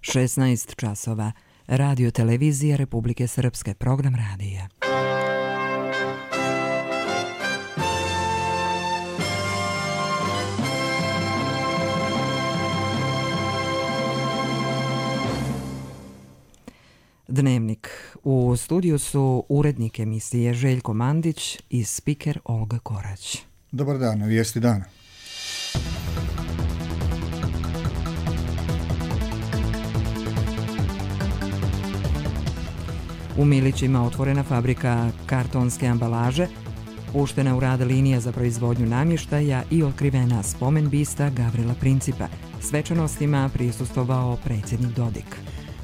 16 časova. Radio televizija Republike Srpske, program radija. Dnevnik. U studiju su urednik emisije Željko Mandić i spiker Olga Korać. Dobar dan, vijesti dana. U Milićima otvorena fabrika kartonske ambalaže, puštena u rad linija za proizvodnju namještaja i otkrivena spomen bista Gavrila Principa. Svečanostima prisustvovao predsjednik Dodik.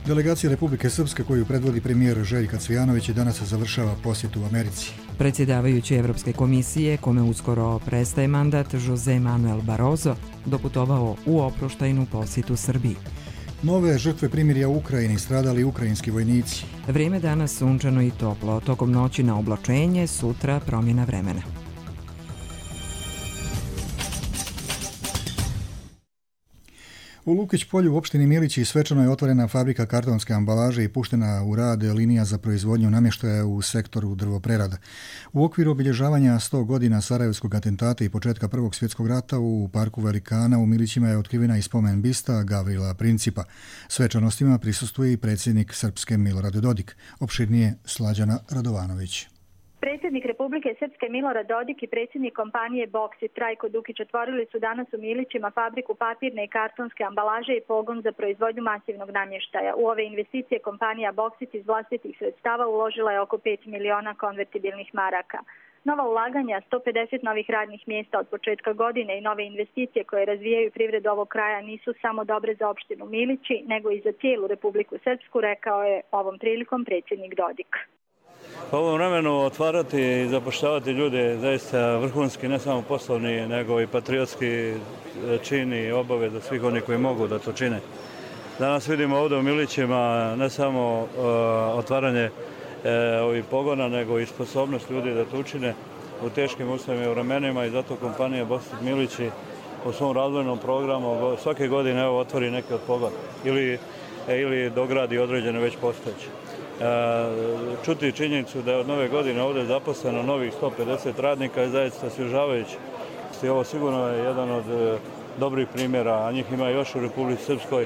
Delegacija Republike Srpske koju predvodi premijer Željko Cvijanović danas završava posjet u Americi. Predsjedavajući Evropske komisije, kome uskoro prestaje mandat, Jose Manuel Barroso, doputovao u oproštajnu posjetu Srbiji. Nove žrtve primirja u Ukrajini, stradali ukrajinski vojnici. Vrijeme danas sunčano i toplo, tokom noći na oblačenje, sutra promjena vremena. U Lukić polju u opštini Milići svečano je otvorena fabrika kartonske ambalaže i puštena u rad linija za proizvodnju namještaja u sektoru drvoprerada. U okviru obilježavanja 100 godina Sarajevskog atentata i početka Prvog svjetskog rata u parku Velikana u Milićima je otkrivena i spomen bista Gavrila Principa. Svečanostima prisustvuje i predsjednik Srpske Milorad Dodik. Opširnije Slađana Radovanović. Predsjednik Republike Srpske Milorad Dodik i predsjednik kompanije Boksit Trajko Dukić otvorili su danas u Milićima fabriku papirne i kartonske ambalaže i pogon za proizvodnju masivnog namještaja. U ove investicije kompanija Boksit iz vlastitih sredstava uložila je oko 5 miliona konvertibilnih maraka. Nova ulaganja, 150 novih radnih mjesta od početka godine i nove investicije koje razvijaju privredu ovog kraja nisu samo dobre za opštinu Milići, nego i za cijelu Republiku Srpsku, rekao je ovom prilikom predsjednik Dodik. U ovom vremenu otvarati i zapošljavati ljude zaista vrhunski, ne samo poslovni, nego i patriotski čin i obaveza svih onih koji mogu da to čine. Danas vidimo ovdje u Milićima ne samo otvaranje ovih pogona, nego i sposobnost ljudi da to učine u teškim uslovima i vremenima i zato kompanija Boksit Milići u svom razvojnom programu svake godine otvori neki od pogona ili dogradi određene već postojeće. Čuti činjenicu da je od nove godine ovdje zaposleno novih 150 radnika je zaista osvježavajući. Ovo sigurno je jedan od dobrih primjera, a njih ima još u Republici Srpskoj,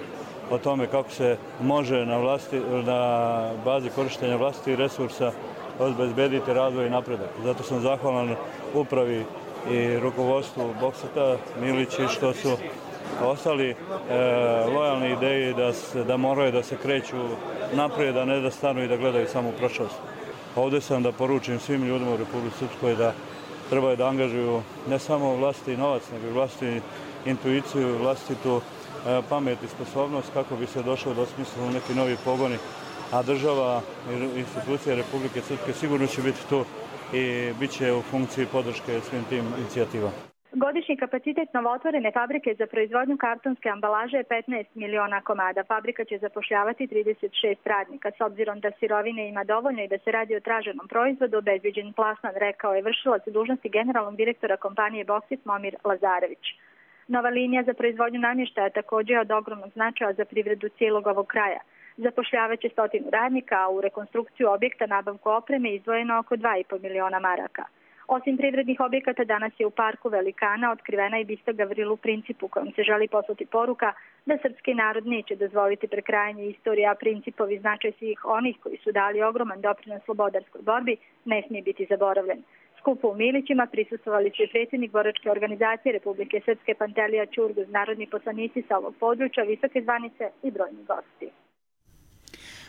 o tome kako se može na bazi korištenja vlastitih resursa obezbediti razvoj i napredak. Zato sam zahvalan upravi i rukovodstvu Boksita Milići što su ostali lojalni ideji da moraju da se kreću naprijed, a ne da stanu i da gledaju samo u prošlost. Ovdje sam da poručim svim ljudima u Republici Srpskoj da trebaju da angažuju ne samo vlastiti novac, nego i vlastitu intuiciju, vlastitu pamet i sposobnost kako bi se došlo do smisla u neki novi pogoni, a država i institucije Republike Srpske sigurno će biti tu i bit će u funkciji podrške svim tim inicijativama. Godišnji kapacitet novootvorene fabrike za proizvodnju kartonske ambalaže je 15 miliona komada. Fabrika će zapošljavati 36 radnika. S obzirom da sirovine ima dovoljno i da se radi o traženom proizvodu, obezbeđen plasman, rekao je vršilac dužnosti generalnog direktora kompanije Boksit Momir Lazarević. Nova linija za proizvodnju namještaja također je od ogromnog značaja za privredu cijelog ovog kraja. Zapošljavaće 100 radnika, a u rekonstrukciju objekta nabavku opreme izdvojeno oko 2,5 miliona maraka. Osim privrednih objekata, danas je u parku Velikana otkrivena i bista Gavrilu Principu, kojom se želi poslati poruka da srpski narod neće dozvoliti prekrajanje istorije, a Principovi značaj svih onih koji su dali ogroman doprinos slobodarskoj borbi ne smije biti zaboravljen. Skupu u Milićima prisustvovali su i predsjednik boračke organizacije Republike Srpske Pantelija Ćurguz, narodni poslanici sa ovog područja, visoke zvanice i brojni gosti.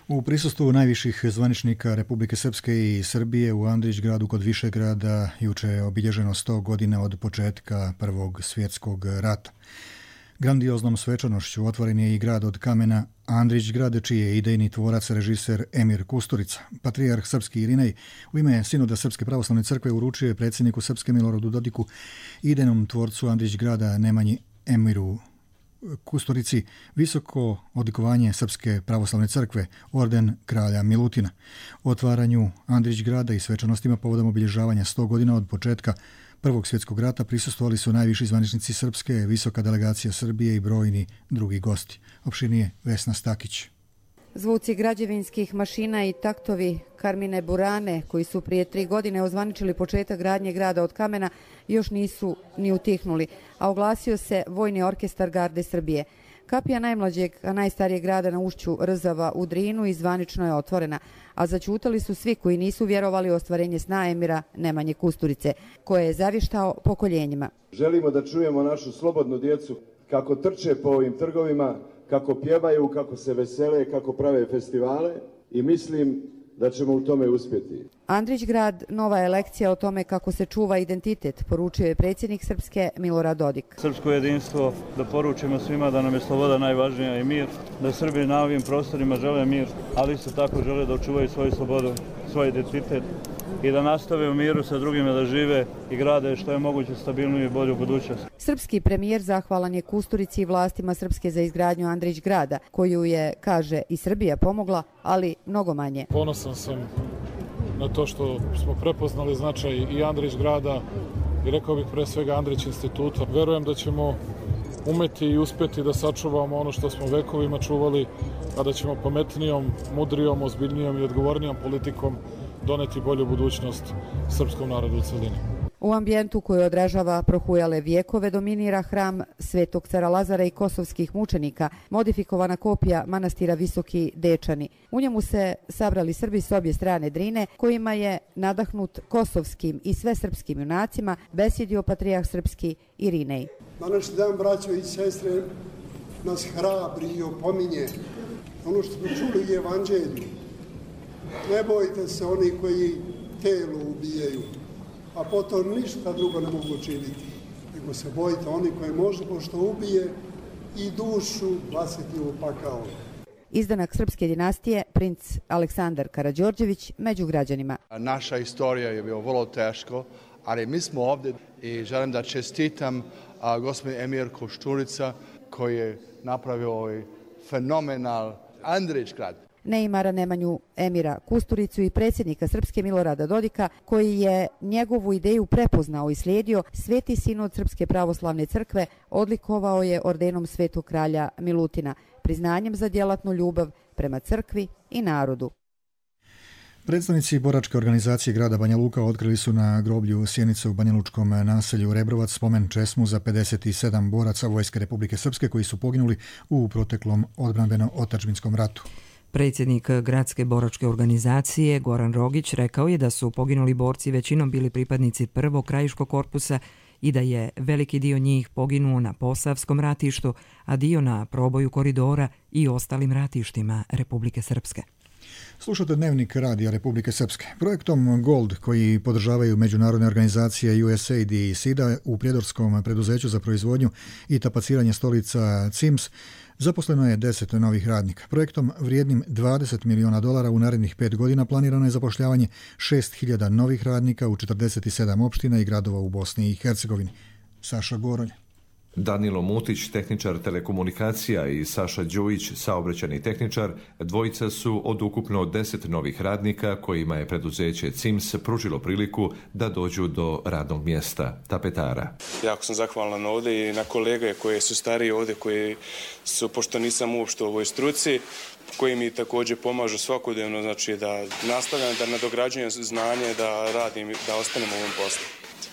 U prisustvu najviših zvaničnika Republike Srpske i Srbije u Andrićgradu kod Višegrada juče je obilježeno 100 godina od početka Prvog svjetskog rata. Grandioznom svečanošću otvoren je i grad od kamena Andrićgrad, čiji je idejni tvorac režiser Emir Kusturica. Patrijarh srpski Irinej u ime Sinoda Srpske pravoslavne crkve uručio je predsjedniku Srpske Miloradu Dodiku i idejnom tvorcu Andrićgrada Nemanji Emiru Kusturici visoko odlikovanje Srpske pravoslavne crkve, orden kralja Milutina. O otvaranju Andrićgrada i svečanostima povodom obilježavanja 100 godina od početka Prvog svjetskog rata prisustvovali su najviši zvaničnici Srpske, visoka delegacija Srbije i brojni drugi gosti. Opširnije Vesna Stakić. Zvuci građevinskih mašina i taktovi Karmine Burane, koji su prije 3 godine ozvaničili početak gradnje grada od kamena, još nisu ni utihnuli, a oglasio se Vojni orkestar Garde Srbije. Kapija najmlađeg, a najstarijeg grada na ušću Rzava u Drinu i zvanično je otvorena, a zaćutali su svi koji nisu vjerovali u ostvarenje sna emira Nemanje Kusturice, koje je zavještao pokoljenjima. Želimo da čujemo našu slobodnu djecu kako trče po ovim trgovima, kako pjevaju, kako se vesele, kako prave festivale i mislim da ćemo u tome uspjeti. Andrićgrad, nova je lekcija o tome kako se čuva identitet, poručio je predsjednik Srpske Milorad Dodik. Srpsko jedinstvo, da poručimo svima da nam je sloboda najvažnija i mir, da Srbi na ovim prostorima žele mir, ali isto tako žele da očuvaju svoju slobodu, svoj identitet i da nastave u miru sa drugima da žive i grade što je moguće stabilniju i bolju budućnost. Srpski premijer zahvalan je Kusturici i vlastima Srpske za izgradnju Andrićgrada, koju je, kaže, i Srbija pomogla, ali mnogo manje. Ponosan sam na to što smo prepoznali značaj i Andrićgrada i rekao bih pre svega Andrić instituta. Verujem da ćemo umeti i uspjeti da sačuvamo ono što smo vekovima čuvali, a da ćemo pametnijom, mudrijom, ozbiljnijom i odgovornijom politikom doneti bolju budućnost srpskom narodu u celini. U ambijentu koji odražava prohujale vijekove dominira hram Svetog cara Lazara i kosovskih mučenika, modifikovana kopija manastira Visoki Dečani. U njemu se sabrali Srbi s obje strane Drine, kojima je nadahnut kosovskim i svesrpskim junacima besjedio patrijarh srpski Irinej. Današnji dan, braćo i sestre, nas hrabri i opominje ono što smo čuli u Evanđelju. Ne bojte se oni koji telo ubijaju, a potom ništa drugo ne mogu činiti, nego se bojite oni koji može pošto ubije i dušu baciti u pakao. Izdanak srpske dinastije, princ Aleksandar Karađorđević, među građanima. Naša istorija je bilo vrlo teško, ali mi smo ovdje i želim da čestitam gospodin Emir Košturica koji je napravio ovaj fenomenal Andrićgrad. Neimara Nemanju Emira Kusturicu i predsjednika Srpske Milorada Dodika, koji je njegovu ideju prepoznao i slijedio, Sveti sinod Srpske pravoslavne crkve odlikovao je ordenom Svetog kralja Milutina, priznanjem za djelatnu ljubav prema crkvi i narodu. Predstavnici boračke organizacije grada Banja Luka otkrili su na groblju Sjenica u banjalučkom naselju Rebrovac spomen česmu za 57 boraca Vojske Republike Srpske koji su poginuli u proteklom odbrambeno-otadžbinskom ratu. Predsjednik gradske boračke organizacije Goran Rogić rekao je da su poginuli borci većinom bili pripadnici prvog krajiškog korpusa i da je veliki dio njih poginuo na Posavskom ratištu, a dio na proboju koridora i ostalim ratištima Republike Srpske. Slušate Dnevnik radija Republike Srpske. Projektom Gold, koji podržavaju međunarodne organizacije USAID i SIDA u prijedorskom preduzeću za proizvodnju i tapaciranje stolica CIMS, zaposleno je 10 novih radnika. Projektom vrijednim $20 miliona u narednih 5 godina planirano je zapošljavanje 6.000 novih radnika u 47 opština i gradova u Bosni i Hercegovini. Saša Goronj. Danilo Mutić, tehničar telekomunikacija, i Saša Đujić, saobraćajni tehničar, dvojica su od ukupno 10 novih radnika kojima je preduzeće CIMS pružilo priliku da dođu do radnog mjesta tapetara. Jako sam zahvalan ovdje i na kolege koje su stariji ovdje, koji su, pošto nisam uopšte u ovoj struci, koji mi također pomažu svakodnevno, znači da nastavljam, da nadograđujem znanje, da radim, da ostanem u ovom poslu.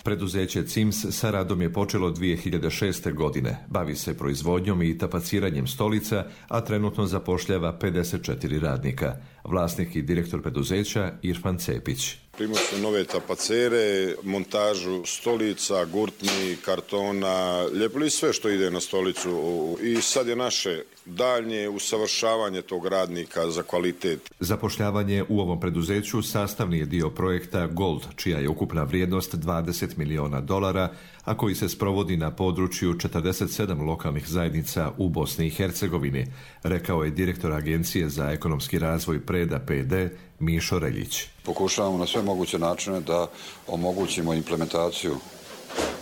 Preduzeće CIMS sa radom je počelo 2006. godine. Bavi se proizvodnjom i tapaciranjem stolica, a trenutno zapošljava 54 radnika. Vlasnik i direktor preduzeća Irfan Cepić. Primili su nove tapacere, montažu stolica, gurtni, kartona, ljepili sve što ide na stolicu i sad je naše daljnje usavršavanje tog radnika za kvalitet. Zapošljavanje u ovom preduzeću sastavni je dio projekta Gold, čija je ukupna vrijednost $20 miliona, a koji se sprovodi na području 47 lokalnih zajednica u Bosni i Hercegovini, rekao je direktor Agencije za ekonomski razvoj Preda PD Mišo Reljić. Pokušavamo na sve moguće načine da omogućimo implementaciju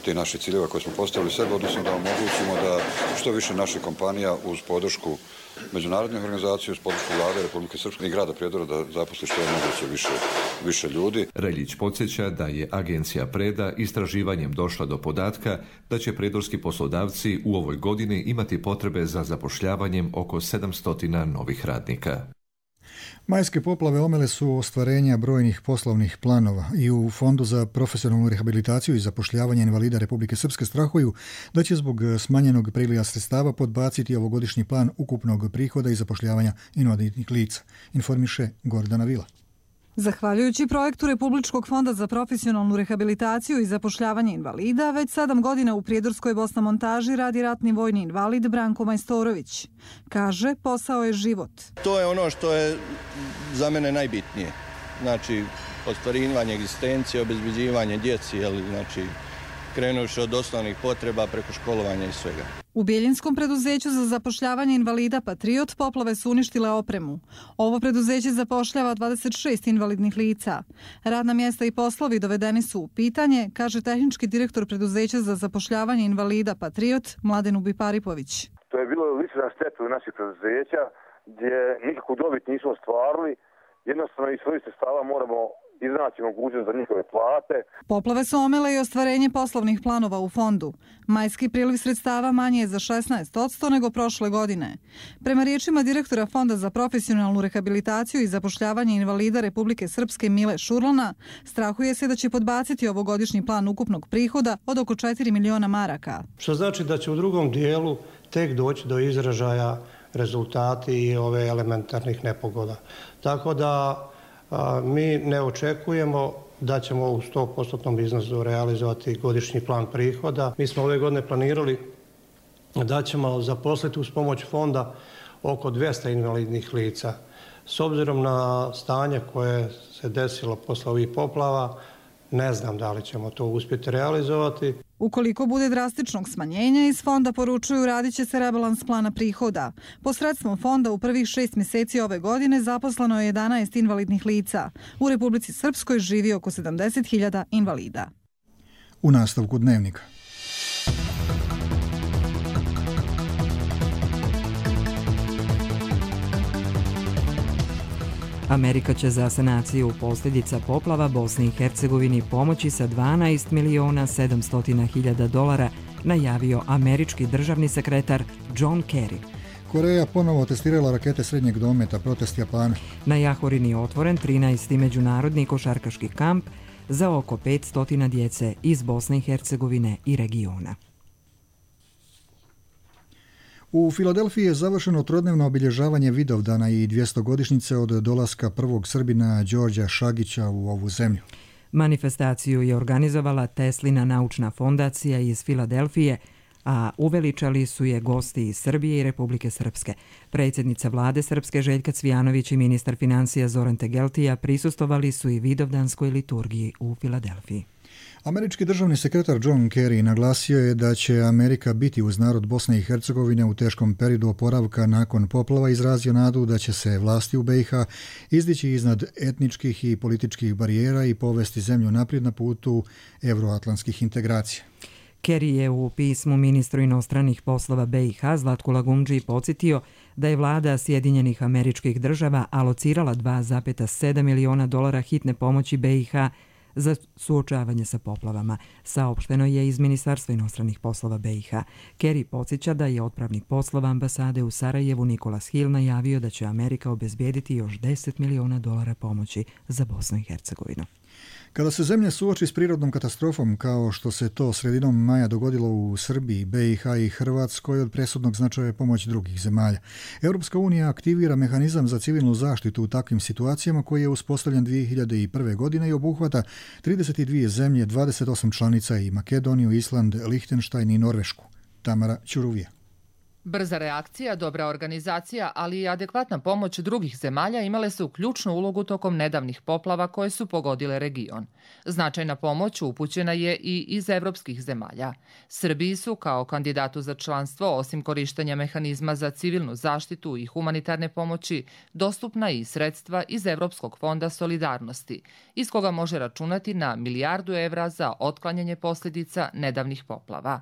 te naše ciljeva koje smo postavili sebi, odnosno da omogućimo da što više naših kompanija uz podršku međunarodnih organizacija, uz podršku Vlade Republike Srpske i grada Prijedora da zaposli što je moguće više ljudi. Reljić podsjeća da je agencija Preda istraživanjem došla do podatka da će prijedorski poslodavci u ovoj godini imati potrebe za zapošljavanjem oko 700 novih radnika. Majske poplave omele su ostvarenja brojnih poslovnih planova i u Fondu za profesionalnu rehabilitaciju i zapošljavanje invalida Republike Srpske strahuju da će zbog smanjenog priliva sredstava podbaciti ovogodišnji plan ukupnog prihoda i zapošljavanja invalidnih lica, informiše Gordana Vila. Zahvaljujući projektu Republičkog fonda za profesionalnu rehabilitaciju i zapošljavanje invalida, već 7 godina u Prijedorskoj Bosna-Montaži radi ratni vojni invalid Branko Majstorović. Kaže, posao je život. To je ono što je za mene najbitnije. Znači, ostvarivanje egzistencije, obezbeđivanje djeci, znači, krenuši od osnovnih potreba preko školovanja i svega. U Biljinskom preduzeću za zapošljavanje invalida Patriot poplave su uništile opremu. Ovo preduzeće zapošljava 26 invalidnih lica. Radna mjesta i poslovi dovedeni su u pitanje, kaže tehnički direktor preduzeća za zapošljavanje invalida Patriot Mladen Ubiparipović. To je bilo lična šteta u naših preduzeća gdje nikakvu dobit nismo ostvarili. Jednostavno iz svojih sredstava moramo iznaći mogućnost za njihove plate. Poplave su omele i ostvarenje poslovnih planova u fondu. Majski priliv sredstava manje je za 16% nego prošle godine. Prema riječima direktora Fonda za profesionalnu rehabilitaciju i zapošljavanje invalida Republike Srpske Mile Šurlana, strahuje se da će podbaciti ovogodišnji plan ukupnog prihoda od oko 4 miliona maraka. Što znači da će u drugom dijelu tek doći do izražaja rezultati i ove elementarnih nepogoda. Tako da mi ne očekujemo da ćemo u 100% iznosu realizovati godišnji plan prihoda. Mi smo ove godine planirali da ćemo zaposliti uz pomoć fonda oko 200 invalidnih lica. S obzirom na stanje koje se desilo posle ovih poplava, ne znam da li ćemo to uspjeti realizovati. Ukoliko bude drastičnog smanjenja, iz fonda poručuju radit će se rebalans plana prihoda. Posredstvom fonda u prvih 6 mjeseci ove godine zaposleno je 11 invalidnih lica. U Republici Srpskoj živi oko 70.000 invalida. U nastavku dnevnika. Amerika će za sanaciju posljedica poplava Bosni i Hercegovini pomoći sa $12.700.000, najavio američki državni sekretar John Kerry. Koreja ponovo testirala rakete srednjeg dometa, protest Japana. Na Jahorini je otvoren 13. međunarodni košarkaški kamp za oko 500 djece iz Bosne i Hercegovine i regiona. U Filadelfiji je završeno trodnevno obilježavanje Vidovdana i 200-godišnjice od dolaska prvog Srbina Đorđa Šagića u ovu zemlju. Manifestaciju je organizovala Teslina naučna fondacija iz Filadelfije, a uveličali su je gosti iz Srbije i Republike Srpske. Predsjednica vlade Srpske Željka Cvijanović i ministar financija Zoran Tegeltija prisustvovali su i Vidovdanskoj liturgiji u Filadelfiji. Američki državni sekretar John Kerry naglasio je da će Amerika biti uz narod Bosne i Hercegovine u teškom periodu oporavka nakon poplava, izrazio nadu da će se vlasti u BiH izdići iznad etničkih i političkih barijera i povesti zemlju naprijed na putu evroatlantskih integracija. Kerry je u pismu ministru inostranih poslova BiH Zlatku Lagumdži podsjetio da je vlada Sjedinjenih Američkih Država alocirala $2,7 miliona hitne pomoći BiH za suočavanje sa poplavama. Saopšteno je iz Ministarstva inostranih poslova BiH. Kerry podsjeća da je otpravnik poslova ambasade u Sarajevu Nikolas Hill najavio da će Amerika obezbijediti još $10 miliona pomoći za Bosnu i Hercegovinu. Kada se zemlja suoči s prirodnom katastrofom, kao što se to sredinom maja dogodilo u Srbiji, BiH i Hrvatskoj, od presudnog značaja je pomoć drugih zemalja. Europska unija aktivira mehanizam za civilnu zaštitu u takvim situacijama koji je uspostavljen 2001. godine i obuhvata 32 zemlje, 28 članica i Makedoniju, Island, Lihtenštajn i Norvešku. Tamara Ćuruvija. Brza reakcija, dobra organizacija, ali i adekvatna pomoć drugih zemalja imale su ključnu ulogu tokom nedavnih poplava koje su pogodile region. Značajna pomoć upućena je i iz evropskih zemalja. Srbiji su kao kandidatu za članstvo, osim korištenja mehanizma za civilnu zaštitu i humanitarne pomoći, dostupna i sredstva iz Evropskog fonda solidarnosti, iz koga može računati na $1 milijardu za otklanjanje posljedica nedavnih poplava.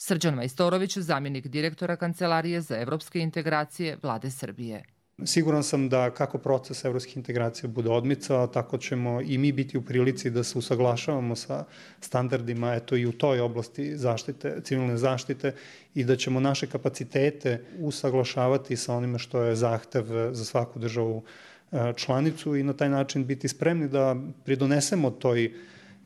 Srđan Majstorović, zamjenik direktora Kancelarije za evropske integracije Vlade Srbije. Siguran sam da kako proces evropskih integracija bude odmicao, tako ćemo i mi biti u prilici da se usaglašavamo sa standardima i u toj oblasti zaštite, civilne zaštite, i da ćemo naše kapacitete usaglašavati sa onime što je zahtev za svaku državu članicu i na taj način biti spremni da pridonesemo toj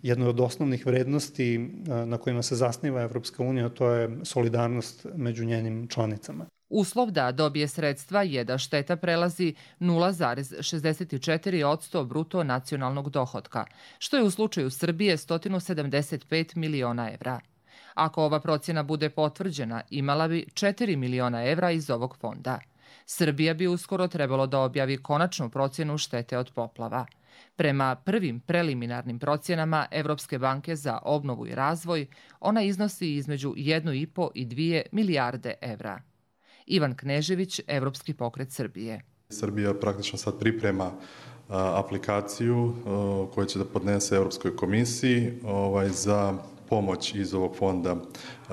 jednoj od osnovnih vrednosti na kojima se zasniva Evropska unija, to je solidarnost među njenim članicama. Uslov da dobije sredstva je da šteta prelazi 0,64% bruto nacionalnog dohotka, što je u slučaju Srbije 175 miliona evra. Ako ova procjena bude potvrđena, imala bi 4 miliona evra iz ovog fonda. Srbija bi uskoro trebalo da objavi konačnu procjenu štete od poplava. Prema prvim preliminarnim procjenama Evropske banke za obnovu i razvoj, ona iznosi između 1,5 i 2 milijarde evra. Ivan Knežević, Evropski pokret Srbije. Srbija praktično sad priprema aplikaciju koju će da podnese Evropskoj komisiji za pomoć iz ovog fonda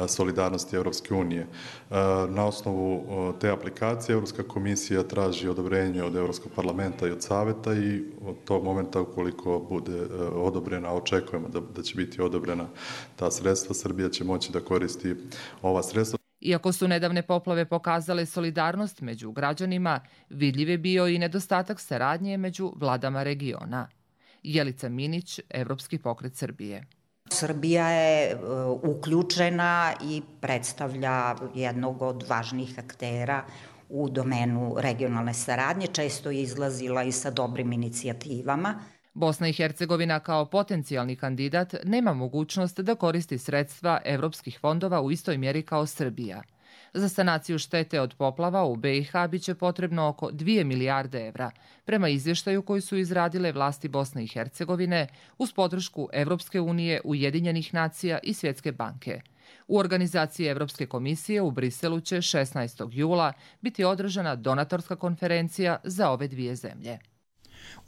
solidarnosti Evropske unije. Na osnovu te aplikacije Evropska komisija traži odobrenje od Evropskog parlamenta i od Saveta i od tog momenta ukoliko bude odobrena, očekujemo da će biti odobrena ta sredstva, Srbija će moći da koristi ova sredstva. Iako su nedavne poplave pokazale solidarnost među građanima, vidljiv je bio i nedostatak saradnje među vladama regiona. Jelica Minić, Evropski pokret Srbije. Srbija je uključena i predstavlja jednog od važnijih aktera u domenu regionalne saradnje, često je izlazila i sa dobrim inicijativama. Bosna i Hercegovina kao potencijalni kandidat nema mogućnost da koristi sredstva evropskih fondova u istoj mjeri kao Srbija. Za sanaciju štete od poplava u BiH biće potrebno oko 2 milijarde evra, prema izvještaju koji su izradile vlasti Bosne i Hercegovine uz podršku Evropske unije, Ujedinjenih nacija i Svjetske banke. U organizaciji Evropske komisije u Briselu će 16. jula biti održana donatorska konferencija za ove dvije zemlje.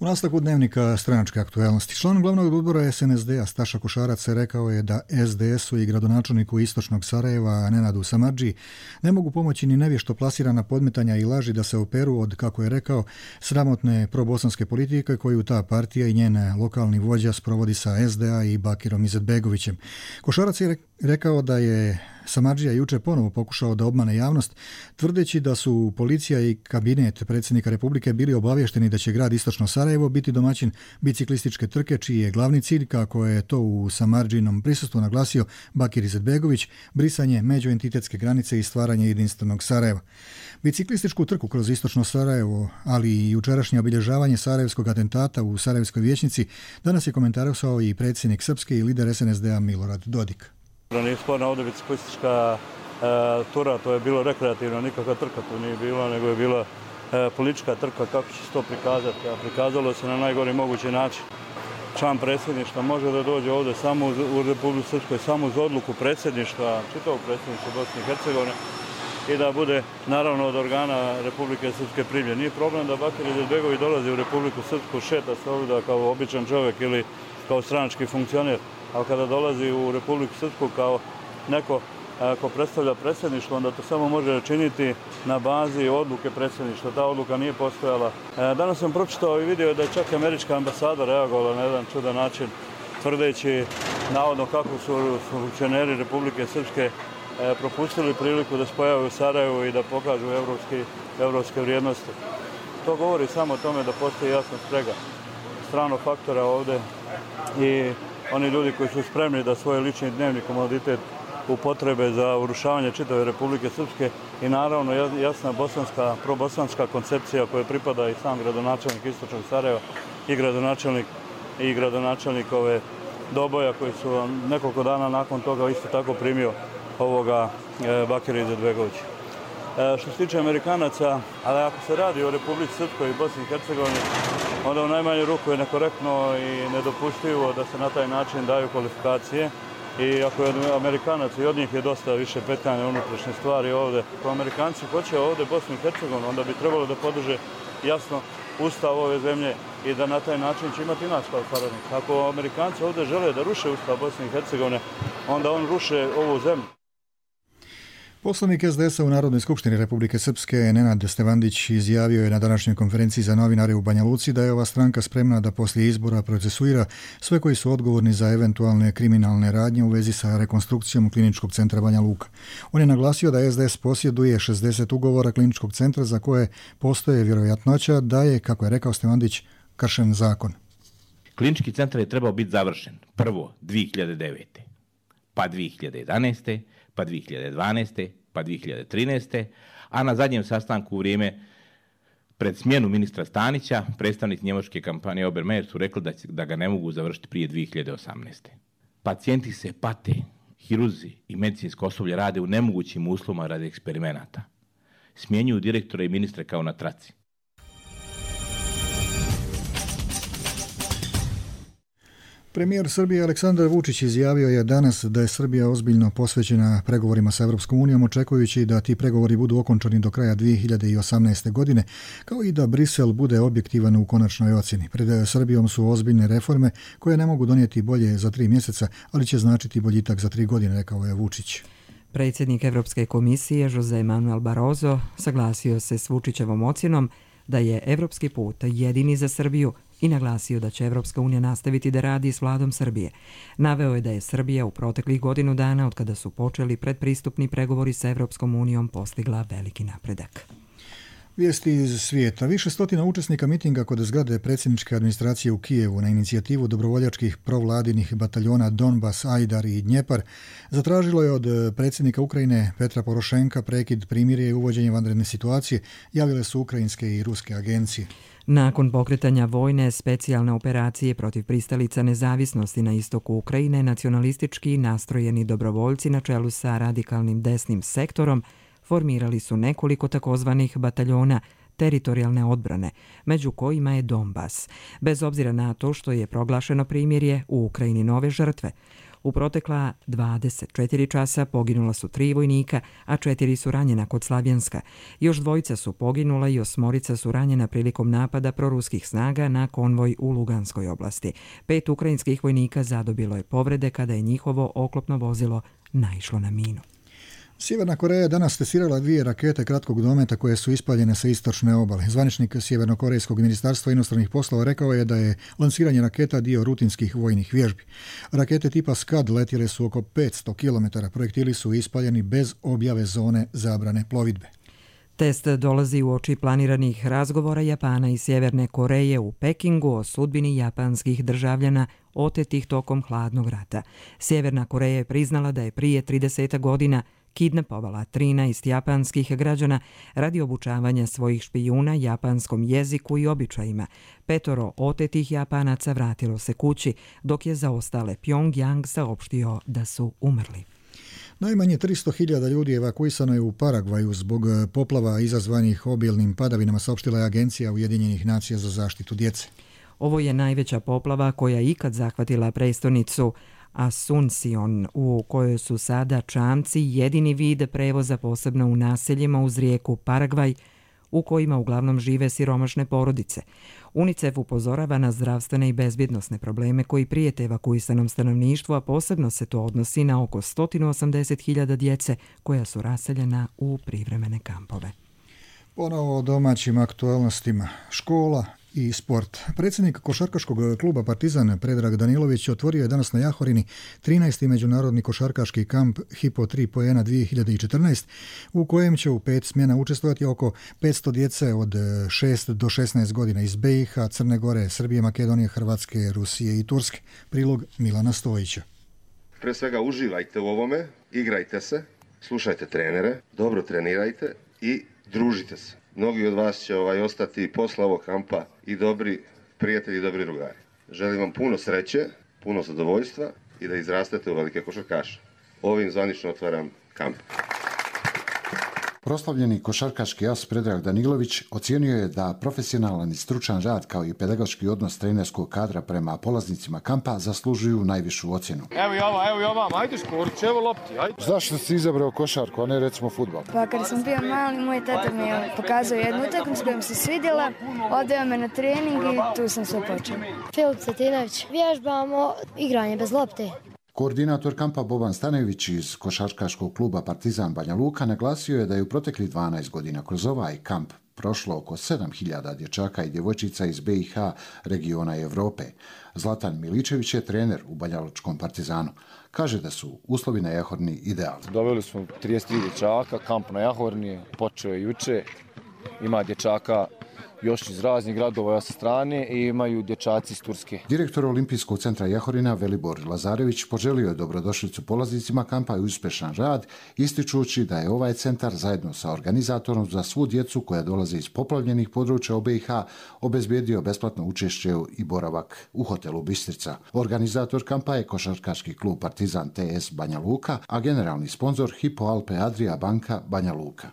U nastavku dnevnika stranačke aktuelnosti, član glavnog odbora SNSD-a Staša Košarac rekao je da SDS-u i gradonačelniku istočnog Sarajeva Nenadu Samardži ne mogu pomoći ni nevješto plasirana podmetanja i laži da se operu od, kako je rekao, sramotne probosanske politike koju ta partija i njen lokalni vođa sprovodi sa SDA i Bakirom Izetbegovićem. Košarac je rekao da je Samardžija juče ponovo pokušao da obmane javnost, tvrdeći da su policija i kabinet predsjednika Republike bili obavješteni da će grad Istočno Sarajevo biti domaćin biciklističke trke, čiji je glavni cilj, kako je to u Samardžinom prisustvu naglasio Bakir Izetbegović, brisanje međuentitetske granice i stvaranje jedinstvenog Sarajeva. Biciklističku trku kroz Istočno Sarajevo, ali i jučerašnje obilježavanje sarajevskog atentata u Sarajevskoj vijećnici, danas je komentarisao i predsjednik Srpske i lider SNSD-a Milorad Dodik. Nije sporna ovdje biciklistička tura, to je bilo rekreativno, nikakva trka tu nije bila, nego je bila politička trka, kako će se to prikazati. A prikazalo se na najgori mogući način. Član predsjedništva može da dođe ovdje samo u Republiku Srpskoj, samo uz odluku predsjedništva, čitavog predsjedništva Bosne i Hercegovine, i da bude naravno od organa Republike Srpske primljen. Nije problem da Bakir Izetbegović dolazi u Republiku Srpsku, šeta se ovdje kao običan čovjek ili kao stranački funkcioner, ali kada dolazi u Republiku Srpsku kao neko ko predstavlja predsjedništvo, onda to samo može činiti na bazi odluke predsjedništva. Ta odluka nije postojala. Danas sam pročitao i vidio da je čak američka ambasada reagovala na jedan čudan način, tvrdeći navodno kako su funkcioneri Republike Srpske propustili priliku da se pojave u Sarajevu i da pokažu evropske vrijednosti. To govori samo o tome da postoji jasna sprega stranog faktora ovdje i oni ljudi koji su spremni da svoj lični dnevni komoditet upotrebe za urušavanje čitave Republike Srpske i naravno jasna probosanska koncepcija koja pripada i sam gradonačelnik Istočnog Sarajeva i gradonačelnik ove Doboja koji su nekoliko dana nakon toga isto tako primio ovoga Bakira Izetbegovića. Što se tiče Amerikanaca, ali ako se radi o Republici Srpskoj i Bosni i Hercegovini, onda u najmanju ruku je nekorektno i nedopustivo da se na taj način daju kvalifikacije. I ako je Amerikanac i od njih je dosta više petljane unutrašnje stvari ovde. Ako Amerikanci hoće ovde Bosnu i Hercegovinu, onda bi trebalo da podrže jasno ustav ove zemlje i da na taj način će imati nas kao saradnik. Ako Amerikanci ovde žele da ruše ustav Bosne i Hercegovine, onda on ruše ovu zemlju. Poslanik SDS-a u Narodnoj skupštini Republike Srpske Nenad Stevandić izjavio je na današnjoj konferenciji za novinare u Banja Luci da je ova stranka spremna da poslije izbora procesuira sve koji su odgovorni za eventualne kriminalne radnje u vezi sa rekonstrukcijom Kliničkog centra Banja Luka. On je naglasio da SDS posjeduje 60 ugovora Kliničkog centra za koje postoje vjerojatnoća da je, kako je rekao Stevandić, kršen zakon. Klinički centar je trebao biti završen prvo 2009. pa 2011. pa 2012. pa 2013. a na zadnjem sastanku u vrijeme pred smjenu ministra Stanića, predstavnik njemačke kompanije Obermeier su rekli da ga ne mogu završiti prije 2018. Pacijenti se pate, hirurzi i medicinsko osoblje rade u nemogućim uslovima radi eksperimenata. Smjenjuju direktore i ministre kao na traci. Premijer Srbije Aleksandar Vučić izjavio je danas da je Srbija ozbiljno posvećena pregovorima sa Evropskom unijom, očekujući da ti pregovori budu okončani do kraja 2018. godine, kao i da Brisel bude objektivan u konačnoj ocjeni. Pred Srbijom su ozbiljne reforme koje ne mogu donijeti bolje za 3 mjeseca, ali će značiti boljitak za 3 godine, rekao je Vučić. Predsjednik Evropske komisije Jose Manuel Barroso saglasio se s Vučićevom ocjenom da je evropski put jedini za Srbiju i naglasio da će Evropska unija nastaviti da radi s vladom Srbije. Naveo je da je Srbija u proteklih godinu dana, od kada su počeli predpristupni pregovori sa Evropskom unijom, postigla veliki napredak. Vijesti iz svijeta. Više stotina učesnika mitinga kod zgrade predsjedničke administracije u Kijevu na inicijativu dobrovoljačkih provladinih bataljona Donbas, Ajdar i Dnjepar zatražilo je od predsjednika Ukrajine Petra Porošenka prekid primirja i uvođenje vanredne situacije, javile su ukrajinske i ruske agencije. Nakon pokretanja vojne specijalne operacije protiv pristalica nezavisnosti na istoku Ukrajine, nacionalistički nastrojeni dobrovoljci na čelu sa radikalnim desnim sektorom formirali su nekoliko takozvanih bataljona teritorijalne odbrane, među kojima je Donbas. Bez obzira na to što je proglašeno primirje, u Ukrajini nove žrtve. U protekla 24 časa poginula su 3 vojnika, a 4 su ranjena kod Slavjanska. Još 2 su poginula i 8 su ranjena prilikom napada proruskih snaga na konvoj u Luganskoj oblasti. 5 ukrajinskih vojnika zadobilo je povrede kada je njihovo oklopno vozilo naišlo na minu. Sjeverna Koreja je danas testirala 2 rakete kratkog dometa koje su ispaljene sa istočne obale. Zvaničnik Sjevernokorejskog ministarstva inostranih poslova rekao je da je lansiranje raketa dio rutinskih vojnih vježbi. Rakete tipa Scud letjele su oko 500 km. Projektili su ispaljeni bez objave zone zabrane plovidbe. Test dolazi u oči planiranih razgovora Japana i Sjeverne Koreje u Pekingu o sudbini japanskih državljana otetih tokom hladnog rata. Sjeverna Koreja je priznala da je prije 30 godina kidnapovala 13 japanskih građana radi obučavanja svojih špijuna japanskom jeziku i običajima. 5 otetih Japanaca vratilo se kući, dok je za ostale Pyongyang saopštio da su umrli. Najmanje 300.000 ljudi evakuisano je u Paragvaju zbog poplava izazvanih obilnim padavinama, saopštila je Agencija Ujedinjenih nacija za zaštitu djece. Ovo je najveća poplava koja ikad zahvatila prestonicu Asuncion, u kojoj su sada čamci jedini vid prevoza, posebno u naseljima uz rijeku Paragvaj, u kojima uglavnom žive siromašne porodice. UNICEF upozorava na zdravstvene i bezbjednosne probleme koji prijete evakuisanom stanovništvu, a posebno se to odnosi na oko 180.000 djece koja su raseljena u privremene kampove. Ponovo o domaćim aktualnostima. Škola i sport. Predsjednik košarkaškog kluba Partizan Predrag Danilović otvorio je danas na Jahorini 13. međunarodni košarkaški kamp Hipo 3 Poena 2014, u kojem će u 5 smjena učestvovati oko 500 djece od 6 do 16 godina iz BiH, Crne Gore, Srbije, Makedonije, Hrvatske, Rusije i Turske. Prilog Milana Stojića. Pre svega uživajte u ovome, igrajte se, slušajte trenere, dobro trenirajte i družite se. Mnogi od vas će ostati posle ovog kampa i dobri prijatelji i dobri drugari. Želim vam puno sreće, puno zadovoljstva i da izrastete u velike košarkaše. Ovim zvanično otvaram kamp. Proslavljeni košarkaški as Predrag Danilović ocijenio je da profesionalan i stručan rad kao i pedagoški odnos trenerskog kadra prema polaznicima kampa zaslužuju najvišu ocjenu. Evo i ova, ajde Škorić, evo lopti, ajde. Zašto si izabrao košarku, a ne recimo fudbal? Pa kad sam bio mali, moj tata mi je pokazao jednu utakmicu koja mi se svidjela, odveo me na trening i tu sam sve počeo. Filip Cetinović, vježbamo igranje bez lopte. Koordinator kampa Boban Stanević iz košarkaškog kluba Partizan Banja Luka naglasio je da je u proteklih 12 godina kroz ovaj kamp prošlo oko 7000 dječaka i djevojčica iz BiH, regiona i Europe. Zlatan Miličević je trener u banjalučkom Partizanu. Kaže da su uslovi na Jahorni idealni. Doveli smo 33 dječaka, kamp na Jahorni počeo je juče. Ima dječaka još iz raznih gradova sa strane i imaju dječaci iz Turske. Direktor Olimpijskog centra Jahorina Velibor Lazarević poželio je dobrodošlicu polaznicima kampa i uspješan rad, ističući da je ovaj centar zajedno sa organizatorom za svu djecu koja dolaze iz poplavljenih područja BiH obezbijedio besplatno učešće i boravak u hotelu Bistrica. Organizator kampa je košarkaški klub Partizan TS Banja Luka, a generalni sponzor Hypo Alpe Adria banka Banja Luka.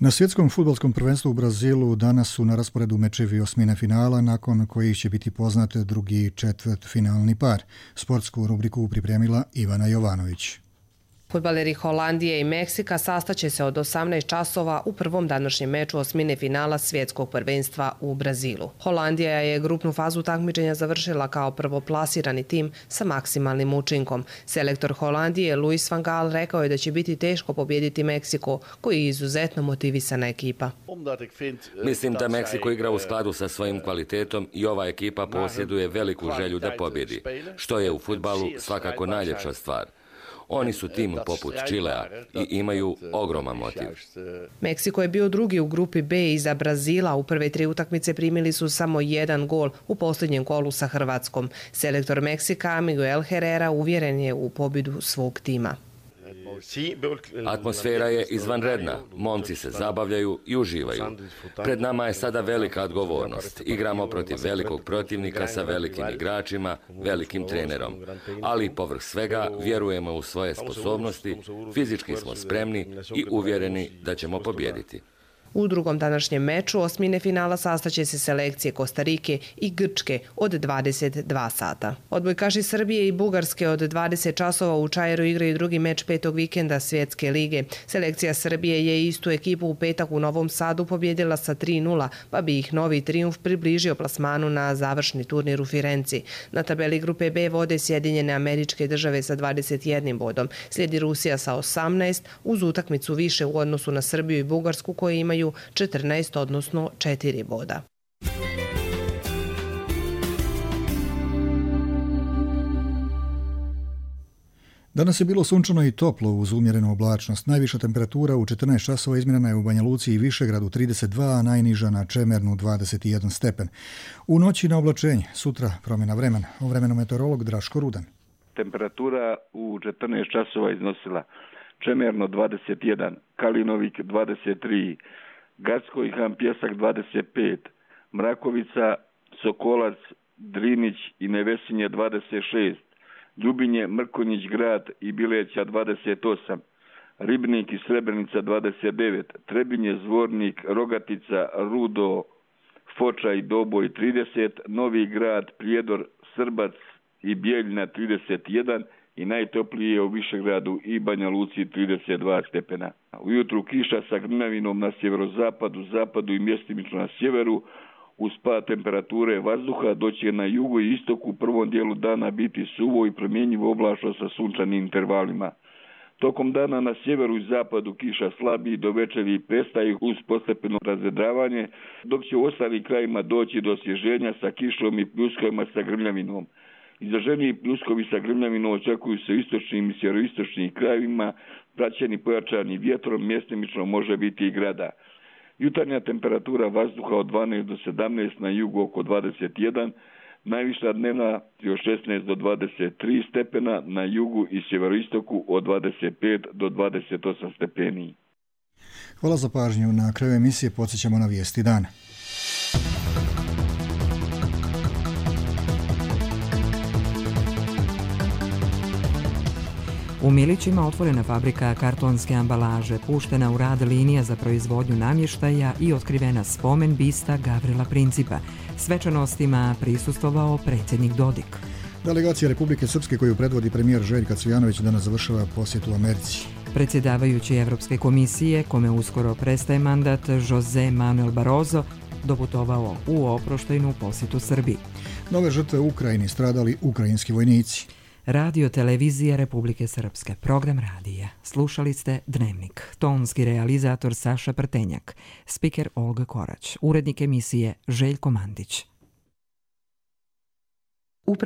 Na svjetskom fudbalskom prvenstvu u Brazilu danas su na rasporedu mečevi osmine finala, nakon kojih će biti poznat drugi četvrtfinalni par. Sportsku rubriku pripremila Ivana Jovanović. Fudbaleri Holandije i Meksika sastaće se od 18 časova u prvom današnjem meču osmine finala svjetskog prvenstva u Brazilu. Holandija je grupnu fazu takmičenja završila kao prvoplasirani tim sa maksimalnim učinkom. Selektor Holandije Louis van Gaal rekao je da će biti teško pobijediti Meksiko, koji je izuzetno motivisana ekipa. Mislim da Meksiko igra u skladu sa svojim kvalitetom i ova ekipa posjeduje veliku želju da pobjedi, što je u fudbalu svakako najljepša stvar. Oni su tim poput Čilea i imaju ogroman motiv. Meksiko je bio drugi u grupi B iza Brazila. U prve 3 utakmice primili su samo 1 gol u posljednjem kolu sa Hrvatskom. Selektor Meksika Miguel Herrera uvjeren je u pobjedu svog tima. Atmosfera je izvanredna, momci se zabavljaju i uživaju. Pred nama je sada velika odgovornost. Igramo protiv velikog protivnika sa velikim igračima, velikim trenerom. Ali povrh svega vjerujemo u svoje sposobnosti, fizički smo spremni i uvjereni da ćemo pobijediti. U drugom današnjem meču osmine finala sastaće se selekcije Kostarike i Grčke od 22 sata. Odbojkaši Srbije i Bugarske od 20 časova u Čajeru igraju drugi meč 5. vikenda Svjetske lige. Selekcija Srbije je istu ekipu u petak u Novom Sadu pobjedila sa 3:0, pa bi ih novi trijumf približio plasmanu na završni turnir u Firenci. Na tabeli grupe B vode Sjedinjene Američke Države sa 21 bodom. Slijedi Rusija sa 18, uz utakmicu više u odnosu na Srbiju i Bugarsku koje imaju 14, odnosno 4 boda. Danas je bilo sunčano i toplo uz umjerenu oblačnost. Najviša temperatura u 14 časova izmjerena je u Banja Luci i Višegradu 32, a najniža na Čemernu 21 stepen. U noći na oblačenje, sutra promjena vremena. O vremenu meteorolog Draško Rudan. Temperatura u 14 časova iznosila Čemerno 21, Kalinovik 23, Gacko i Han Pjesak 25, Mrakovica, Sokolac, Drinić i Nevesinje 26, Ljubinje, Mrkonjić grad i Bileća 28, Ribnik i Srebrenica 29, Trebinje, Zvornik, Rogatica, Rudo, Foča i Doboj 30, Novi grad, Prijedor, Srbac i Bijeljina 31 i najtoplije u Višegradu i Banja Luci 32 stepena. Ujutru kiša sa grmljavinom na sjeverozapadu, zapadu i mjestimično na sjeveru. Uz pad temperature vazduha doće na jugu i istoku u prvom dijelu dana biti suvo i promjenjivo oblačno sa sunčanim intervalima. Tokom dana na sjeveru i zapadu kiša slabi, do večeri prestaje uz postepeno razvedravanje, dok će u ostalim krajima doći do osvježenja sa kišom i pljuskovima sa grmljavinom. Izraženiji pljuskovi sa grmljavinom očekuju se u istočnim i sjeveroistočnim krajevima, praćeni pojačani vjetrom, mjestimično može biti i grada. Jutarnja temperatura vazduha od 12 do 17, na jugu oko 21, najviša dnevna od 16 do 23 stepena, na jugu i sjeveroistoku od 25 do 28 stepeni. Hvala za pažnju. Na kraju emisije podsjećamo na vijesti dana. U Milićima otvorena fabrika kartonske ambalaže, puštena u rad linija za proizvodnju namještaja i otkrivena spomen bista Gavrila Principa. Svečanostima prisustvovao predsjednik Dodik. Delegacija Republike Srpske koju predvodi premijer Željko Cvijanović danas završava posjetu Americi. Predsjedavajući Evropske komisije, kome uskoro prestaje mandat, José Manuel Barroso, doputovao u oproštajnu posjetu Srbiji. Nove žrtve u Ukrajini, stradali ukrajinski vojnici. Radio televizija Republike Srpske, program radija. Slušali ste Dnevnik. Tonski realizator Saša Prtenjak, spiker Olga Korać, urednik emisije Željko Mandić.